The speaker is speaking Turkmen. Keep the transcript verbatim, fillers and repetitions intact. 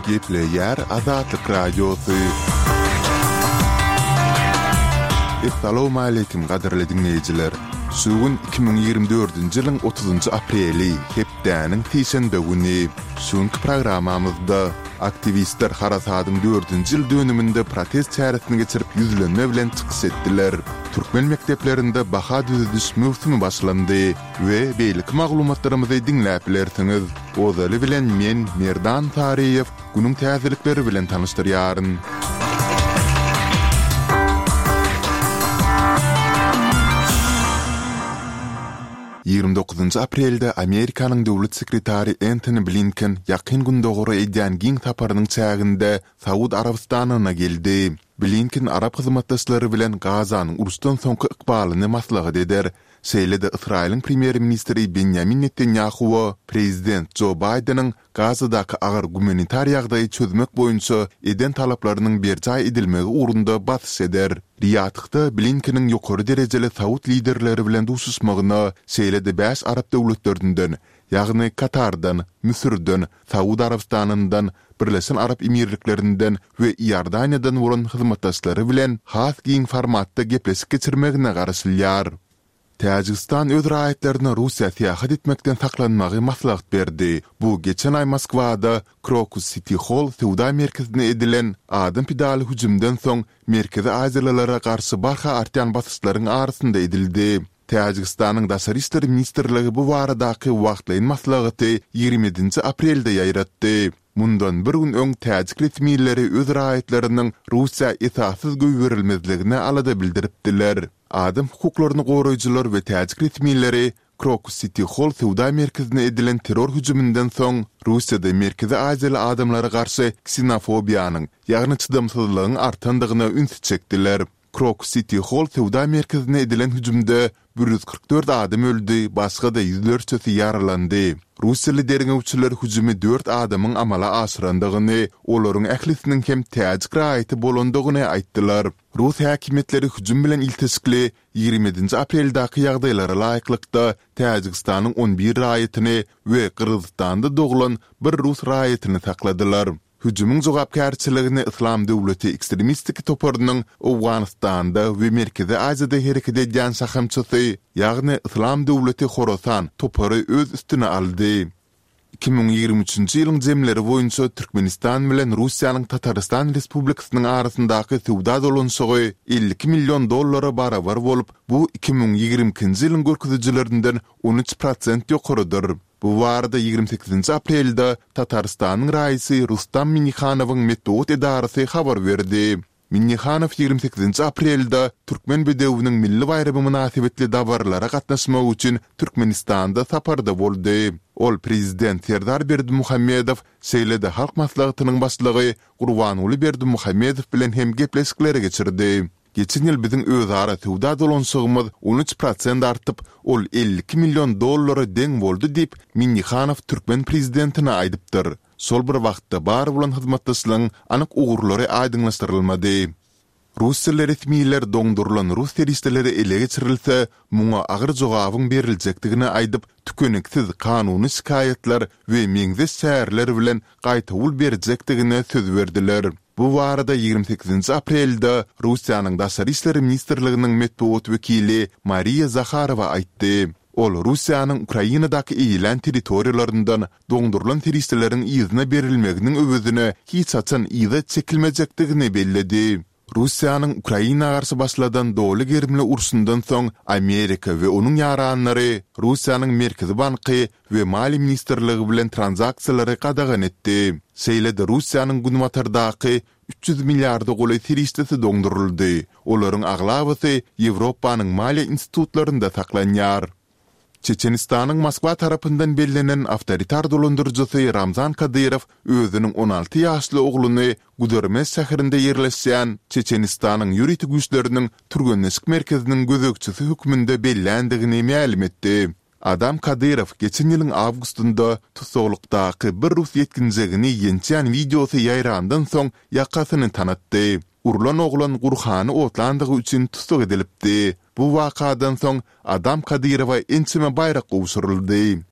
Gepleýär Azatlyk Radiosy. Essalawmaleýkim gadyrly diňleýjiler! Şu gün iki müň ýigrimi dördünji ýylyň otuzynjy apreli, hepdäniň sişenbe güni. Şu günki programmamyzda aktiwistler harasadyň dördünji ýyl dönüminde protest çäresini geçirip ýüzlenme bilen çykyş etdiler. Türkmen mekdeplerinde baha düzediş möwsümi başlandy we beýleki maglumatlarymyzy diňläp bilersiňiz. Ozaly bilen men, Merdan Saryýew, günüň täzelikleri bilen tanyşdyrýaryn. Ýigrimi dokuzynjy aprelde Amerikanyň döwlet sekretary Entoni Blinken Ýakyn Gündogara edýän giň saparynyň çäginde Saud Arabystanyna geldi. Blinken arap hyzmatdaşlary bilen Gazanyň uruşdan soňky ykbalyny maslahat eder. Şeýle-de Ysraýylyň premýer-ministri Benýamin Netanýahuwa prezident Jo Baýdeniň Gazadaky agyr gumanitar ýagdaýy çözmek boýunça eden talaplarynyň berjaý edilmegi ugrunda basyş eder. Riýadhda Blinkeniň ýokary derejeli saud liderleri bilen duşuşmagyna, şeýle-de bäş arap döwletlerinden, ýagny Katardan, Müsürden, Saud Arabystanyndan, Birleşen Arap Emirliklerinden we Iordaniýadan bolan hyzmatdaşlary bilen has giň formatda gepleşik geçirmegine garaşylýar. Täjigistan öz raýatlaryna Russiýa syýahat etmekden saklanmagy maslahat berdi. Bu geçen aý Moskwada Krokus Siti Holl söwda merkezine edilen adam pidaly hüjümden soň merkezi aziýalylara garşy barha artýan basyşlaryň arasynda edildi. Täjigistanyň Daşary işler ministrligi bu baradaky wagtlaýyn maslahaty ýigrimi ýedinji aprelde ýaýratdy. Mundan bir gün öň täjik resmileri öz raýatlarynyň Russiýa esassyz goýberilmezligine alada bildiripdiler. Adam hukuklaryny goraýjylar we täjik resmileri Krokus Siti Holl söwda merkezine edilen terror hüjüminden soň Russiýada merkezi aziýaly adamlara garşy ksenofobiýanyň, ýagny çydamsyzlygyň artandygyna ünsi çekdiler. Krokus Siti Holl söwda merkezine edilen hüjümde bir ýüz kyrk dört adam öldi, başga-da ýüzlerçesi ýaralandy. Russiýaly derňewçiler hüjümi dört adamyň amala aşyrandygyny, olaryň ählisiniň hem täjik raýaty bolandygyny aýtdylar. Rus häkimiýetleri hüjüm bilen ilteşikli ýigrimi ýedinji apreldäki ýagdaýlara laýyklykda Täjigistanyň on bir raýatyny we Gyrgyzystanda doglan bir rus raýatyny sakladylar. Hüjümiň jogapkärçiligini Yslam döwleti ekstremistik toparynyň Owganystanda we Merkezi Aziýada hereket edýän şahamçasy, ýagny Yslam döwleti Horasan topary öz üstüne aldy. Iki müň ýigrimi üçünji ýylyň jemleri boýunça Türkmenistan bilen Russiýanyň Tatarystan Respublikasynyň arasyndaky söwda dolanyşygy elli iki million dollara barabar bolup, bu iki müň ýigrimi ikinji ýylyň görkezijilerinden on üç prosent ýokarydyr. Bu barada ýigrimi sekizinji aprelde Tatarystanyň raisy Rustam Minnihanowyň metbugat edarasy habar berdi. Minnihanow ýigrimi sekizinji aprelde Türkmen bedewiniň milli baýramy mynasybetli dabaralara gatnaşmak üçin Türkmenistanda saparda boldy. Ol Prezident Serdar Berdimuhamedow, şeýle-de Halk Maslahatynyň Başlygy Gurbanguly Berdimuhamedow bilen hem gepleşikleri geçirdi. Geçen ýyl biziň özara söwda dolanyşygymyz on üç prosent artyp, ol elli iki million dollara deň boldy diýip, Minnihanow türkmen prezidentine aýdypdyr. Şol bir wagtda, bar bolan hyzmatdaşlygyň anyk ugurlary aýdyňlaşdyrylmady. Russiýaly resmiler doňdurylan rus serişdeleri ele geçirilse, muňa agyr jogabyň beriljekdigini aýdyp, tükeniksiz kanuny şikaýatlar we meňzeş çäreler bilen gaýtawul berjekdigine söz berdiler. Bu barada ýigrimi sekizinji aprelde Russiýanyň Daşary işler ministrliginiň metbugat wekili Mariýa Zaharowa aýtdy. Ol Russiýanyň Ukrainadaky eýelän territoriýalaryndan doňdurylan serişdeleriň yzyna berilmeginiň öwezine hiç haçan yza çekilmejekdigini belledi. Russiýanyň Ukraina garşy başladan doly gerimli urşundan soň Amerika we onuň ýaranlary Russiýanyň Merkezi banky we Maliýe ministrligi bilen tranzaksiýalary gadagan etdi. Şeýle-de Russiýanyň günbatardaky üç ýüz milliarda golaý serişdesi doňduryldy, olaryň aglabasy Ýewropanyň maliýe institutlarynda saklanýar. Çeçenistanyň Moskwa tarapyndan bellenen awtoritar dolandyryjysy Ramzan Kadyrow özüniň on alty ýaşly ogluny Gudermes şäherinde ýerleşýän Çeçenistanyň ýörite güýçleriniň türgenleşik merkeziniň gözegçisi hökmünde belländigini mälim etdi. Adam Kadyrow geçen ýylyň awgustynda tussaglykdaky bir rus ýetginjegini ýençýän wideosy ýaýrandan soň ýakasyny tanatdy. Urlan oglan Gurhany otlandygy üçin tussag edilipdi. Bu wakadan soň Adam Kadyrowa ençeme baýrak gowşuryldy.